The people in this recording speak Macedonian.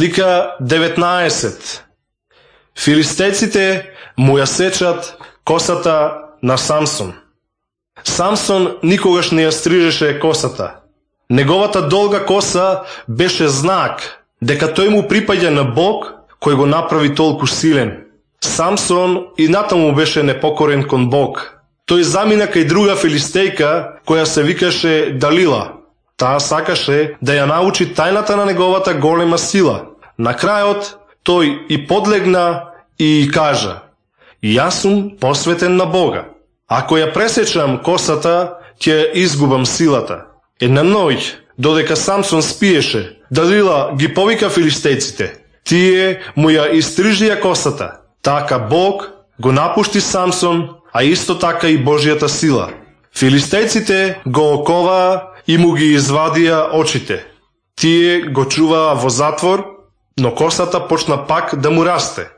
Слика 19. Филистејците му ја сечат косата на Самсон. Самсон никогаш не ја стрижеше косата. Неговата долга коса беше знак дека тој му припаѓа на Бог кој го направи толку силен. Самсон и натаму беше непокорен кон Бог. Тој замина кај друга филистејка која се викаше Далила. Таа сакаше да ја научи тајната на неговата голема сила. На крајот тој и подлегна и кажа: јас сум посветен на Бога. Ако ја пресечам косата, ќе изгубам силата. Една ноќ, додека Самсон спиеше, Далила ги повика филистејците. Тие му ја истрижија косата. Така Бог го напушти Самсон, а исто така и Божјата сила. Филистејците го оковаа и му ги извадија очите. Тие го чуваа во затвор, но косата почна пак да му расте.